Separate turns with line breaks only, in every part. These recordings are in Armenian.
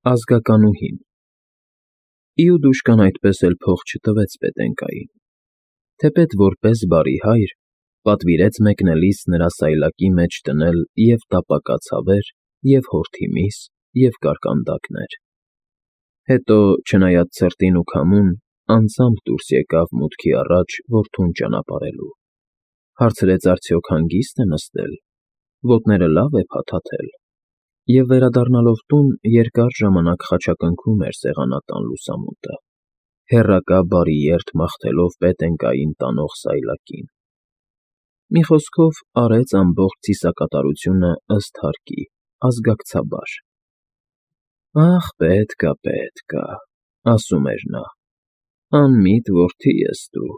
Ազգականուհին Իուդուշկան այդպես էլ փող չտվեց Պետենկային, թեպետ որպես բարի հայր պատվիրեց մեկնելիս նրա սայլակի մեջ դնել և տապակած հավեր, և հորթի միս, և կարկանդակներ. հետո, չնայած ցրտին ու քամուն, անձամբ դուրս եկավ մուտքի առաջ որդուն ճանապարհելու, հարցրեց արդյոք հանգի՞ստ է նստել, ոտները լավ է փաթաթել, և վերադառնալով տուն, երկար ժամանակ խաչակնքում էր սեղանատան լուսամուտը, հեռակա բարի երթ մաղթելով Պետենկային տանող սայլակին. մի խոսքով, արեց ամբողջ ծիսակատարությունը ըստ հարկի, ազգակցաբար։ «Ախ, պետք ա,» ասում էր նա, «անմիտ որդի ես դու,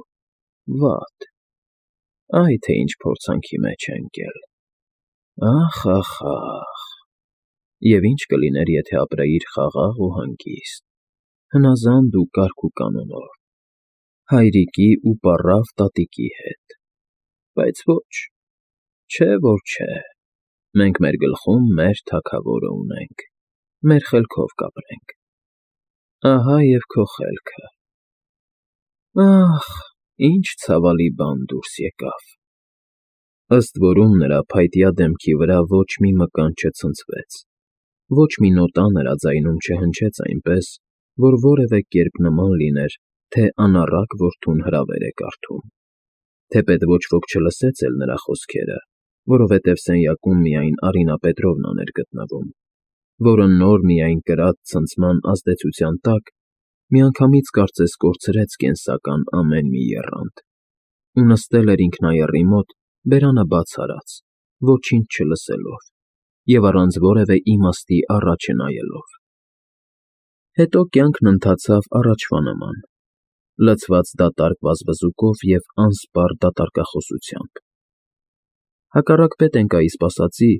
վատ, այ թե ինչ փորձանքի մեջ է ընկել, ախ, և ինչ կլիներ, եթե ապրեիր խաղաղ ու հանգիստ, հնազանդ ու կարգ ու կանոնով, հայրիկի ու պառավ տատիկի հետ, բայց ոչ, չէ որ չէ, մենք մեր գլխում մեր թագավորը ունենք, մեր խելքով կապրենք, ահա և քո խելքը, ախ, ինչ ցավալի բան դուրս եկավ»։ Ըստ որում նրա փայտյա դեմքի վրա ոչ մի մկան չցնցվեց, ոչ մի նոտա նրա ձայնում չհնչեց այնպես, որ որևէ կերպ նման լիներ, թե անառակ որդուն հրավեր է կարդում, թեպետ ոչ ոք չլսեց էլ նրա խոսքերը, որովհետև սենյակում միայն Արինա Պետրովնան էր գտնվում, որը նոր միայն կրած ցնցման ազդեցության տակ միանգամից կարծես կորցրեց կենսական ամեն մի եռանդ, ու նստել էր ինքնաեռի մոտ, բերանը բաց արած, ոչինչ չլսելով և առանց որևէ իմաստի առաջ չնայելով։ Հետո կյանքն ընթացավ առաջվա նման, լցված դատարկ վազվզուկով և անսպառ դատարկախոսությամբ։ Հակառակ Պետենկայի սպասածի,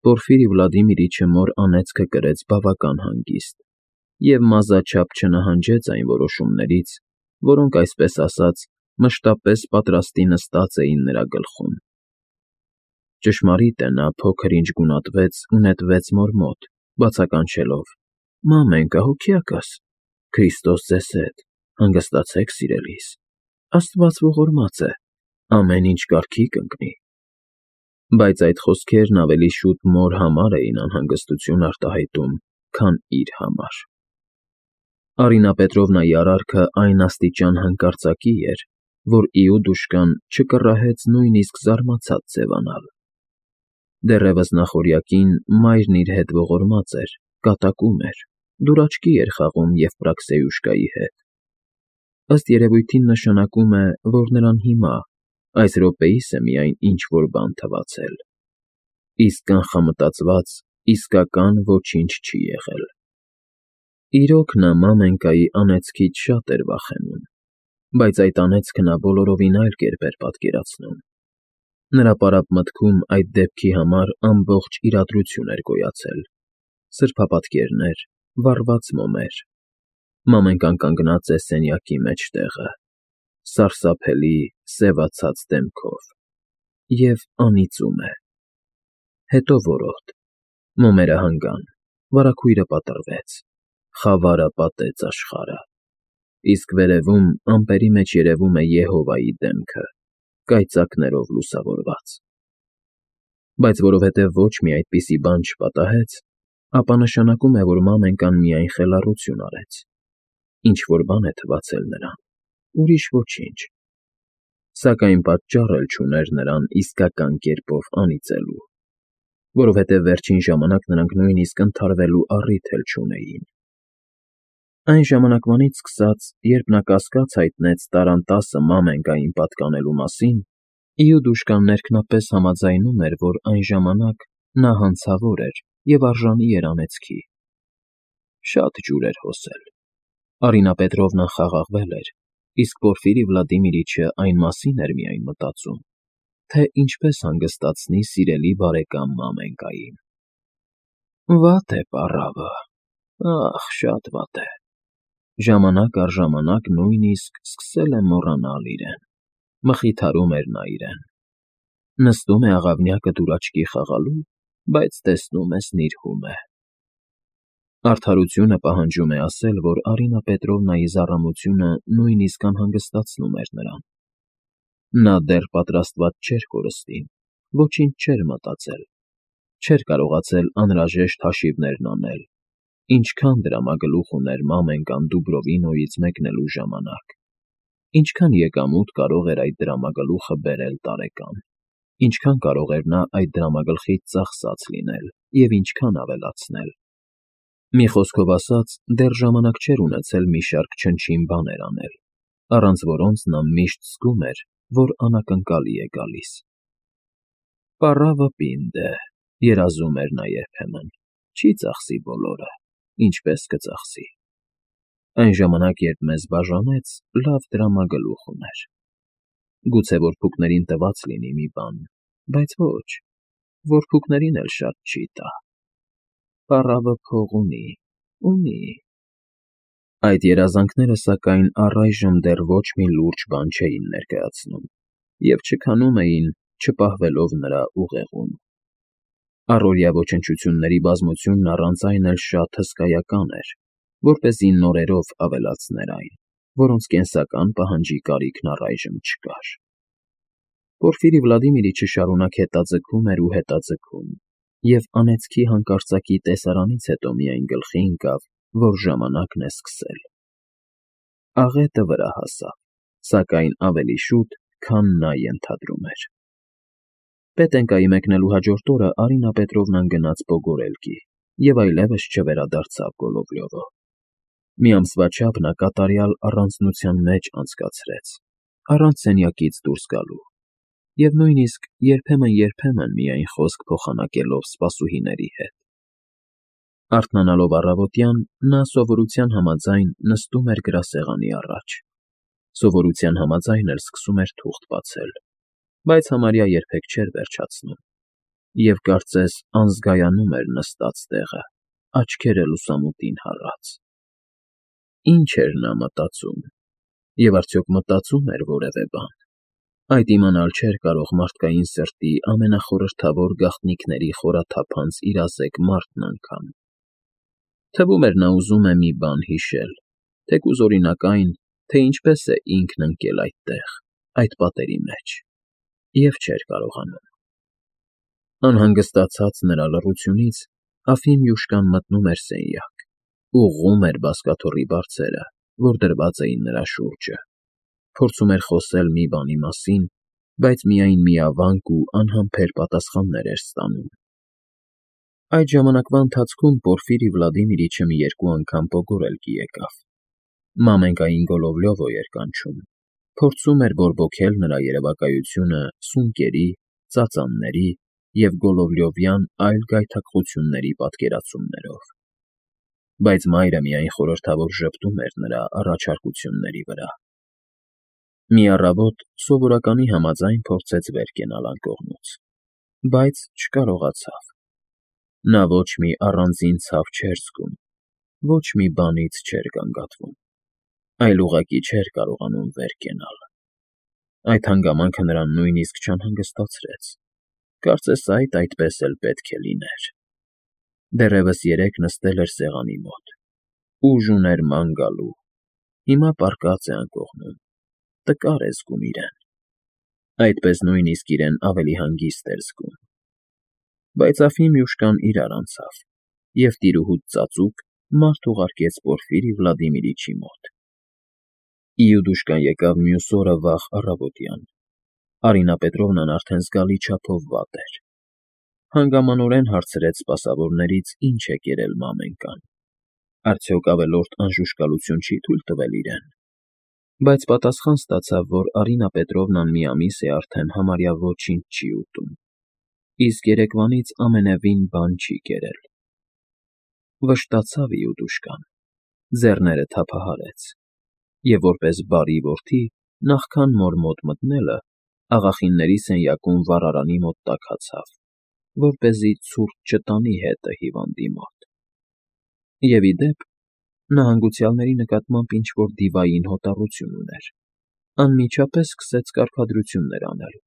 Պորֆիրի Վլադիմիրիչը մոր անեծքը կրեց բավական հանգիստ և մազաչափ չնահանջեց այն որոշումներից, որոնք, այսպես ասած, մշտապես պատրաստի նստած էին նրա գլխում։ Ճշմարիտ է, նա փոքր-ինչ գունատվեց ու նետվեց մոր մոտ, բացականչելով. «Մամենկա, հոգյակս, Քրիստոս ձեզ հետ, հանգստացեք սիրելիս, Աստված ողորմած է, ամեն ինչ կարգի կընկնի»։ Բայց այդ խոսքերն ավելի շուտ մոր համար էին անհանգստություն արտահայտում, քան իր համար։ Արինա Պետրովնայի արարքը այն աստիճան հանկարծակի էր, որ Իուդուշկան չկռահեց նույնիսկ զարմացած ձևանալ։ Դեռևս նախօրյակին մայրն իր հետ ողորմած էր, կատակում էր, դուրաչքի էր խաղում Եվպրաքսեյուշկայի հետ։ Ըստ երևույթին նշանակում է, որ նրան հիմա, այս րոպեիս է միայն ինչ֊որ բան թվացել, իսկ կանխամտածված, իսկական ոչինչ չի եղել։ Իրոք, նա մամենկայի անեծքից շատ էր վախենում, բայց այդ անեծքը նա բոլորովին այլ կերպ էր պատկերացնում։ Նրա պարապ մտքում այդ դեպքի համար ամբողջ իրադրություն էր գոյացել՝ սրբապատկերներ, վառված մոմեր, մամենկան կանգնած է սենյակի մեջտեղը, սարսափելի, սևացած դեմքով, և անիծում է։ Հետո որոտ, մոմերը հանգան, վարագույրը պատռվեց, խավարը պատեց աշխարհը, իսկ վերևում ամպերի մեջ երևում է Եհովայի դեմքը, կայծակներով լուսավորված։ Բայց որովհետև ոչ մի այդպիսի բան չպատահեց, ապա նշանակում է, որ մամենկան միայն խելառություն արեց, ինչ֊որ բան է թվացել նրան, ուրիշ ոչինչ, սակայն պատճառ էլ չուներ նրան իսկական կերպով անիծելու, որովհետև վերջին ժամանակ նրանք նույնիսկ ընդհարվելու առիթ էլ չունեին։ Այն ժամանակվանից սկսած, երբ նա կասկած հայտնեց տառանտասը մամենկային պատկանելու մասին, Իուդուշկան ներքնապես համաձայնում էր, որ այն ժամանակ նա հանցավոր էր և արժանի էր անեծքի։ Շատ ջուր էր հոսել։ Արինա Պետրովնան խաղաղվել էր, իսկ Պորֆիրի Վլադիմիրիչը այն մասին էր միայն մտածում, թե ինչպես հանգստացնի սիրելի բարեկամ մամենկային։ Վատ է պառավը, ախ, շատ վատ է, ժամանակ առ ժամանակ նույնիսկ սկսել է մոռանալ իրեն, մխիթարում էր նա իրեն։ Նստում է աղավնյակը դուրաչքի խաղալու, բայց տեսնում ես նիրհում է։ Արդարությունը պահանջում է ասել, որ Արինա Պետրովնայի զառամությունը նույնիսկ անհանգստացնում էր նրան։ Նա դեռ պատրաստված չէր կորստին, ոչինչ չէր մտածել, չէր կարողացել անհրաժեշտ հաշիվներն անել, ինչքան դրամագլուխ ուներ մամենկան Դուբրովինոյից մեկնելու ժամանակ, ինչքան եկամուտ կարող էր այդ դրամագլուխը բերել տարեկան, ինչքան կարող էր նա այդ դրամագլխից ծախսած լինել և ինչքան ավելացնել։ Մի խոսքով ասած, դեռ ժամանակ չէր ունեցել մի շարք չնչին բաներ անել, առանց որոնց նա միշտ զգում էր, որ անակնկալի է գալիս։ «Պառավը պինդ է», երազում էր նա երբեմն, չի ծախսի բոլորը, ինչպես կծախսի։ Այն ժամանակ, երբ մեզ բաժանեց, լավ դրամագլուխ ուներ։ Գուցե որփուկներին տված լինի մի բան, բայց ոչ, որփուկներին էլ շատ չի տա։ Պառավը փող ունի։ Այդ երազանքները, սակայն, առայժմ դեռ ոչ մի լուրջ բան չէին ներկայացնում և չքանում էին, չպահվելով նրա ուղեղում։ Առօրյա ոչնչությունների բազմությունն առանց այն էլ շատ հսկայական էր, որպեսզի նորերով ավելացներ այն, որոնց կենսական պահանջի կարիքն առայժմ չկար։ Պորֆիրի Վլադիմիրիչը շարունակ հետաձգում էր ու հետաձգում, և անեծքի հանկարծակի տեսարանից հետո միայն գլխի ընկավ, որ ժամանակն է սկսել։ Աղետը վրա հասավ, սակայն ավելի շուտ, քան նա ենթադրում էր։ Պետենկայի մեկնելու հաջորդ օրը Արինա Պետրովնան գնաց Պոգորելկի և այլևս չվերադարձավ Գոլովլյովը։ Մի ամսվա չափ նա կատարյալ առանձնության մեջ անցկացրեց, առանց սենյակից դուրս գալու, և նույնիսկ երբեմն միայն խոսք փոխանակելով սպասուհիների հետ։ Արթնանալով առավոտյան, նա սովորության համաձայն նստում էր գրասեղանի առաջ, սովորության համաձայն էլ սկսում էր թուղթ բացել, բայց համարյա երբեք չէր վերջացնում, և կարծես անզգայանում էր նստած տեղը, աչքերը լուսամուտին հառած։ Ինչ էր նա մտածում, և արդյոք մտածում էր որևէ բան։ Այդ իմանալ չէր կարող մարդկային սրտի ամենախորհրդավոր գաղտնիքների խորաթափանց իրազեկ մարդն անգամ։ Թվում էր նա ուզում է մի բան հիշել, թեկուզ օրինակ այն, թե ինչպես է ինքն ընկել այդտեղ, այդ պատերի մեջ, և չէր կարողանում։ Անհանգստացած նրա լռությունից Ալֆիմյուշկան մտնում էր սենյակ, ուղղում էր բազկաթոռի բարձերը, որ դրված էին նրա շուրջը, փորձում էր խոսել մի բանի մասին, բայց միայն միավանք ու անհամբեր պատասխաններ էր ստանում։ Այդ ժամանակվա ընթացքում Պորֆիրի Վլադիմիրիչը մի երկու անգամ Պոգորելկի եկավ։ Մամենկային Գոլովլյովո էր կանչում, փորձում էր բորբոքել նրա երևակայությունը սունկերի, ծածանների և գոլովլյովյան այլ գայթակղությունների պատկերացումներով։ Բայց մայրը միայն խորհրդավոր ժպտում էր նրա առաջարկությունների վրա։ Մի առավոտ սովորականի համաձայն փորձեց վեր կենալ անկողնուց, բայց չկարողացավ։ Նա ոչ մի առանձին ցավ չէր զգում, ոչ մի բանից չէր գանգատվում, այլ ուղղակի չէր կարողանում վեր կենալ։ Այդ հանգամանքը նրան նույնիսկ չանհանգստացրեց, կարծես այդպես էլ պետք է լիներ։ Դեռևս երեկ նստել էր սեղանի մոտ, ուժ ուներ ման գալու, հիմա պառկած է անկողնում, տկար է զգում իրեն։ Այդպես նույնիսկ իրեն ավելի հանգիստ էր զգում։ Բայց Ալֆիմյուշկան իրար անցավ, և տիրուհուց ծածուկ մարդ ուղարկեց Պորֆիրի Վլադիմիրիչի մոտ։ Իուդուշկան եկավ մյուս օրը վաղ առավոտյան։ Արինա Պետրովնան արդեն զգալի չափով վատ էր։ Հանգամանորեն հարցրեց սպասավորներից, ինչ է կերել մամենկան, արդյոք ավելորդ անժուշկալություն չի թույլ տվել իրեն։ Բայց պատասխան ստացավ, որ Արինա Պետրովնան մի ամիս է արդեն համարյա ոչինչ չի ուտում, իսկ երեկվանից ամենևին բան չի կերել։ Վշտացավ Իուդուշկան, ձեռները թափահարեց, և որպես բարի որդի, նախքան մոր մոտ մտնելը, աղախինների սենյակում վառարանի մոտ տաքացավ, որպեսզի ցուրտ չտանի հետը հիվանդի մոտ։ Եվ ի դեպ, նա հանգուցյալների նկատմամբ ինչ֊որ դիվային հոտառություն ուներ, անմիջապես սկսեց կարգադրություններ անել։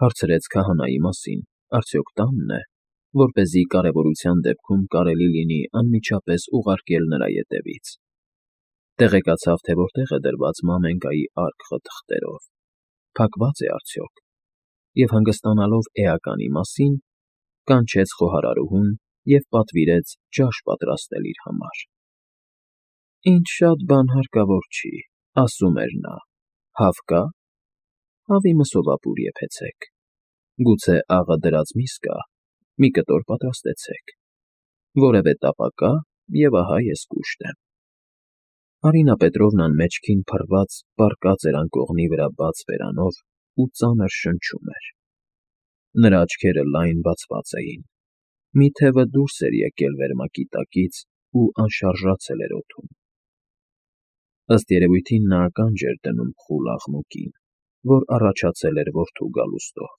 Հարցրեց քահանայի մասին, արդյոք տանն է, որպեսզի կարևորության դեպքում կարելի լինի անմիջապես ուղարկել նրա ետևից։ Տեղեկացավ, թե որտեղ է դրված մամենկայի արկղը թղթերով, փակված է արդյոք, և հանգստանալով էականի մասին, կանչեց խոհարարուհուն և պատվիրեց ջաշ պատրաստել իր համար։ «Ինչ շատ բան հարկավոր չի,֊ ասում էր նա,֊ հավ կա՞։ Հավի մսովապուր եփեցեք, գուցե աղը դրած միս կա, մի կտոր պատրաստեցեք, որևէ տապա կա, և ահա ես կուշտ եմ»։ Արինա Պետրովնան մեջքին փռված պառկած էր անկողնի վրա բաց բերանով ու ծանր շնչում էր։ Նրա աչքերը լայն բացված էին, մի թևը դուրս էր եկել վերմակի տակից ու անշարժացել էր օդում։ Ըստ երևույթին նա ականջ էր դնում խուլ աղմուկին, որ առաջացել էր որդու գալուստով։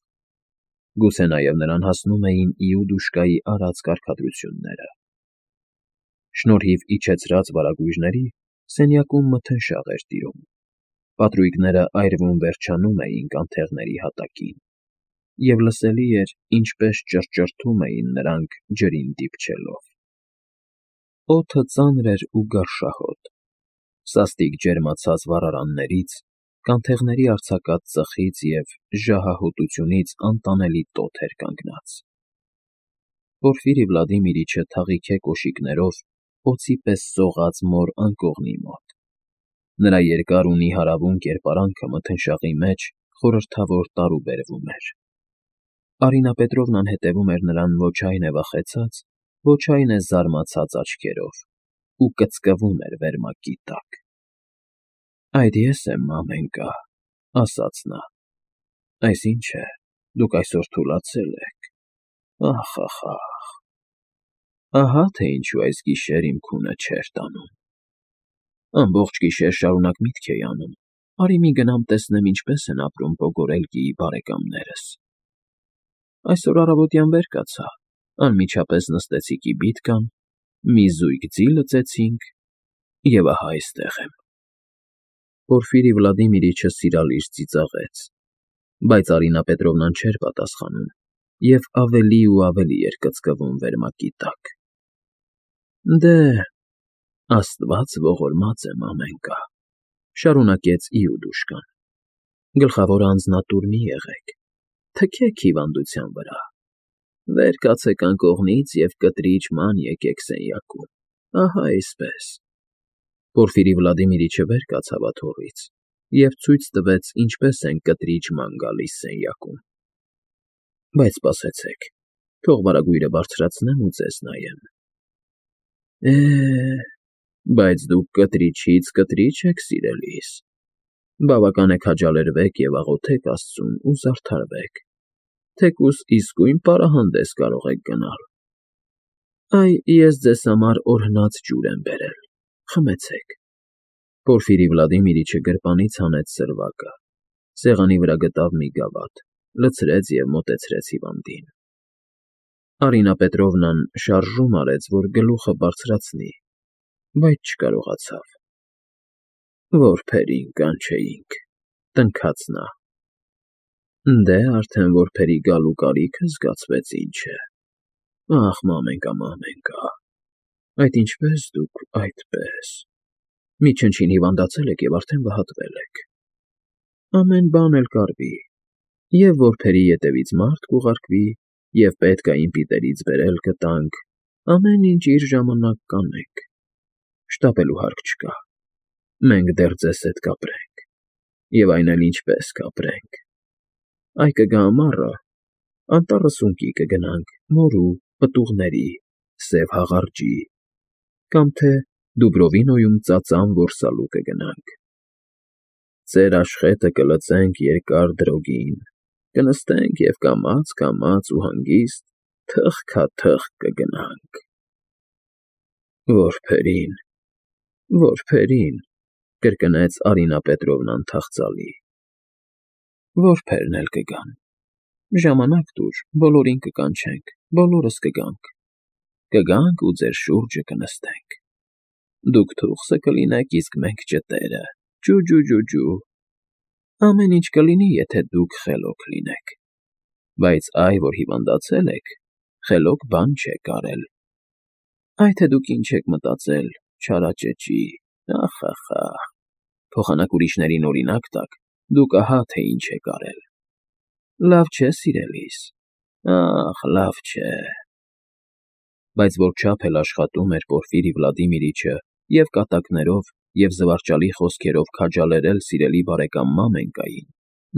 Գուցե նաև նրան հասնում էին Իուդուշկայի արած կարգադրությունները։ Շնորհիվ իջեցրած վարագույրների սենյակում մթնշաղ էր տիրում, պատրույգները այրվում-վերջանում էին կանթեղների հատակին, և լսելի էր, ինչպես ճռճռթում էին նրանք ջրին դիպչելով։ Օդը ծանր էր ու գարշահոտ, սաստիկ ջերմացած վառարաններից, կանթեղների արձակած ծխից և ժահահոտությունից անտանելի տոթ էր կանգնած։ Պորֆիրի Վլադիմիրիչը թաղիքե կոշիկներով օձի պես սողաց մոր անկողնի մոտ։ Նրա երկար ու նիհարավուն կերպարանքը մթնշաղի մեջ խորհրդավոր տարուբերվում էր։ Արինա Պետրովնան հետևում էր նրան ոչ այն է վախեցած, ոչ այն է զարմացած աչքերով ու կծկվում էր վերմակի տակ։ «Այդ ես եմ, մամենկա,֊ ասաց նա,֊ այս ի՞նչ է, դուք այսօր թուլացել եք, ախ, ախ, ախ… Ահա թե ինչու այս գիշեր իմ քունը չէր տանում։ Ամբողջ գիշեր շարունակ միտք էի անում, արի մի գնամ տեսնեմ ինչպես են ապրում Պոգորելկիի բարեկամներս։ Այսօր առավոտյան վեր կացա, անմիջապես նստեցի կիբիթկան, մի զույգ ձի լծեցինք, և ահա այստեղ եմ»։ Պորֆիրի Վլադիմիրիչը սիրալիր ծիծաղեց, բայց Արինա Պետրովնան չէր պատասխանում և ավելի ու ավելի էր կծկվում վերմակի տակ։ «Դե, Աստված ողորմած է, մամենկա,֊ շարունակեց Իուդուշկան,֊ գլխավորը անձնատուր մի եղեք, թքեք հիվանդության վրա, վեր կացեք անկողնից և կտրիջ ման եկեք սենյակում, ահա այսպես»։ Պորֆիրի Վլադիմիրիչը վեր կացավ աթոռից և ցույց տվեց, ինչպես են կտրիջ ման գալիս սենյակում։ «Բայց սպասեցեք, թող վարագույրը բարձրացնեմ ու ձեզ նայեմ։ Բայց դուք կտրիչից կտրիչ եք, սիրելիս, բավական է քաջալերվեք և աղոթեք Աստծուն ու զարդարվեք, թեկուզ իսկույն պարահանդես կարող եք գնալ։ Այ, ես ձեզ համար օրհնած ջուր եմ բերել, խմեցեք»։ Պորֆիրի Վլադիմիրիչը գրպանից հանեց սրվակը, սեղանի վրա գտավ մի գավաթ, լցրեց և մոտեցրեց հիվանդին։ Արինա Պետրովնան շարժում արեց, որ գլուխը բարձրացնի, բայց չկարողացավ։ «Որբերին կանչեինք,֊ տնքաց նա։ Դե, արդեն որբերի գալու կարիքը զգացվեց, ինչ է։ Ախ, մամենկա, մամենկա, այդ ինչպես դուք այդպես… Մի չնչին հիվանդացել եք և արդեն վհատվել եք։ Ամեն բան էլ կարվի, և որբերի ետևից մարդ կուղարկվի, և պետք ա իմ պիտերից բերել կտանք, ամեն ինչ իր ժամանակ կանենք, շտապելու հարկ չկա, մենք դեռ ձեզ հետ կապրենք, և այն էլ ինչպես կապրենք… Այ կգա ամառը, անտառը սունկի կգնանք, մորու, պտուղների, սև հաղարջի, կամ թե Դուբրովինոյում ծածան որսալու կգնանք, ծեր աշխետը կլծենք երկար դրոգին, կնստենք և կամաց ու հանգիստ թխքաթխ կգնանք… Որբերին, որբերին,֊ կրկնեց Արինա Պետրովնան թախծալի։ Որբերն էլ կգան, ժամանակ տուր, բոլորին կկանչենք, բոլորս կգանք ու ձեր շուրջը կնստենք։ Դուք թուխսը կլինեք, իսկ մենք ճտերը, ջու… Ամեն ինչ կլինի, եթե դուք խելոք լինեք, բայց այ որ հիվանդացել եք, խելոք բան չեք արել։ Այ թե դուք ինչ եք մտածել, չարաճճի, ախ, փոխանակ ուրիշներին օրինակ տաք, դուք ահա թե ինչ եք արել։ Լավ չէ, սիրելիս, ախ, լավ չէ։ Բայց որչափ էլ աշխատում էր Պորֆիրի Վլադիմիրիչը և կատակներով և զվարճալի խոսքերով քաջալերել սիրելի բարեկամ Մամենկային,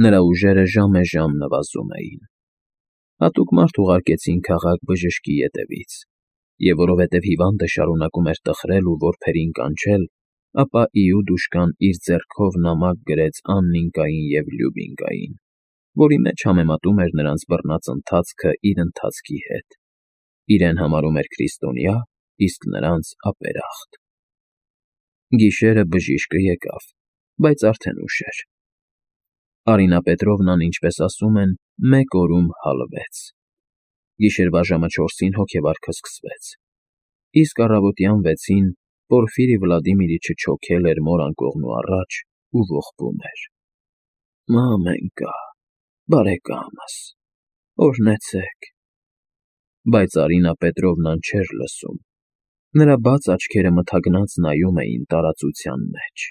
նրա ուժերը ժամեժամ նվազում էին։ Հատուկ մարդ ուղարկեցին քաղաք բժշկի ետևից, և որովհետև հիվանդը շարունակում էր տխրել ու որբերին կանչել, ապա Իուդուշկան իր ձեռքով նամակ գրեց Աննիկային և Լյուբինկային, որի մեջ համեմատում էր նրանց բռնած ընթացքը իր ընթացքի հետ, իրեն համարում էր քրիստոնյա, իսկ նրանց ապերախտ։ Գիշերը բժիշկը եկավ, բայց արդեն ուշ էր։ Արինա Պետրովնան, ինչպես ասում են, մեկ օրում հալվեց։ Գիշերվա ժամը 4-ին հոգեվարքը սկսվեց, իսկ առավոտյան 6-ին Պորֆիրի Վլադիմիրիչը չոքել էր մոր անկողնու առաջ ու ողբում էր. «Մամենկա, բարեկամս, օրհնեցեք»։ Բայց Արինա Պետրովնան չէր լսում։ Նրա բաց աչքերը մթագնած նայում էին տարածության մեջ։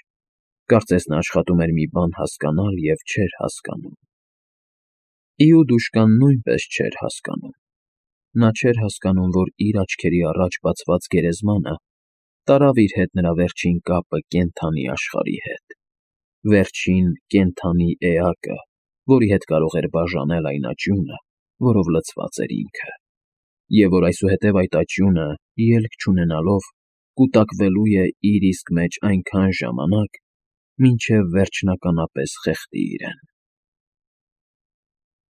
Կարծես նա աշխատում էր մի բան հասկանալ և չէր հասկանում։ Իուդուշկան նույնպես չէր հասկանում։ Նա չէր հասկանում, որ իր աչքերի առաջ բացված գերեզմանը տարավ իր հետ նրա վերջին կապը կենդանի աշխարհի հետ, վերջին կենդանի էակը, որի հետ կարող էր բաժանել այն աճյունը, որով լցված էր ինքը, և որ այսուհետև այդ աճյունը, ելք չունենալով, կուտակվելու է իր իսկ մեջ այնքան ժամանակ, մինչև վերջնականապես խեղդի իրեն։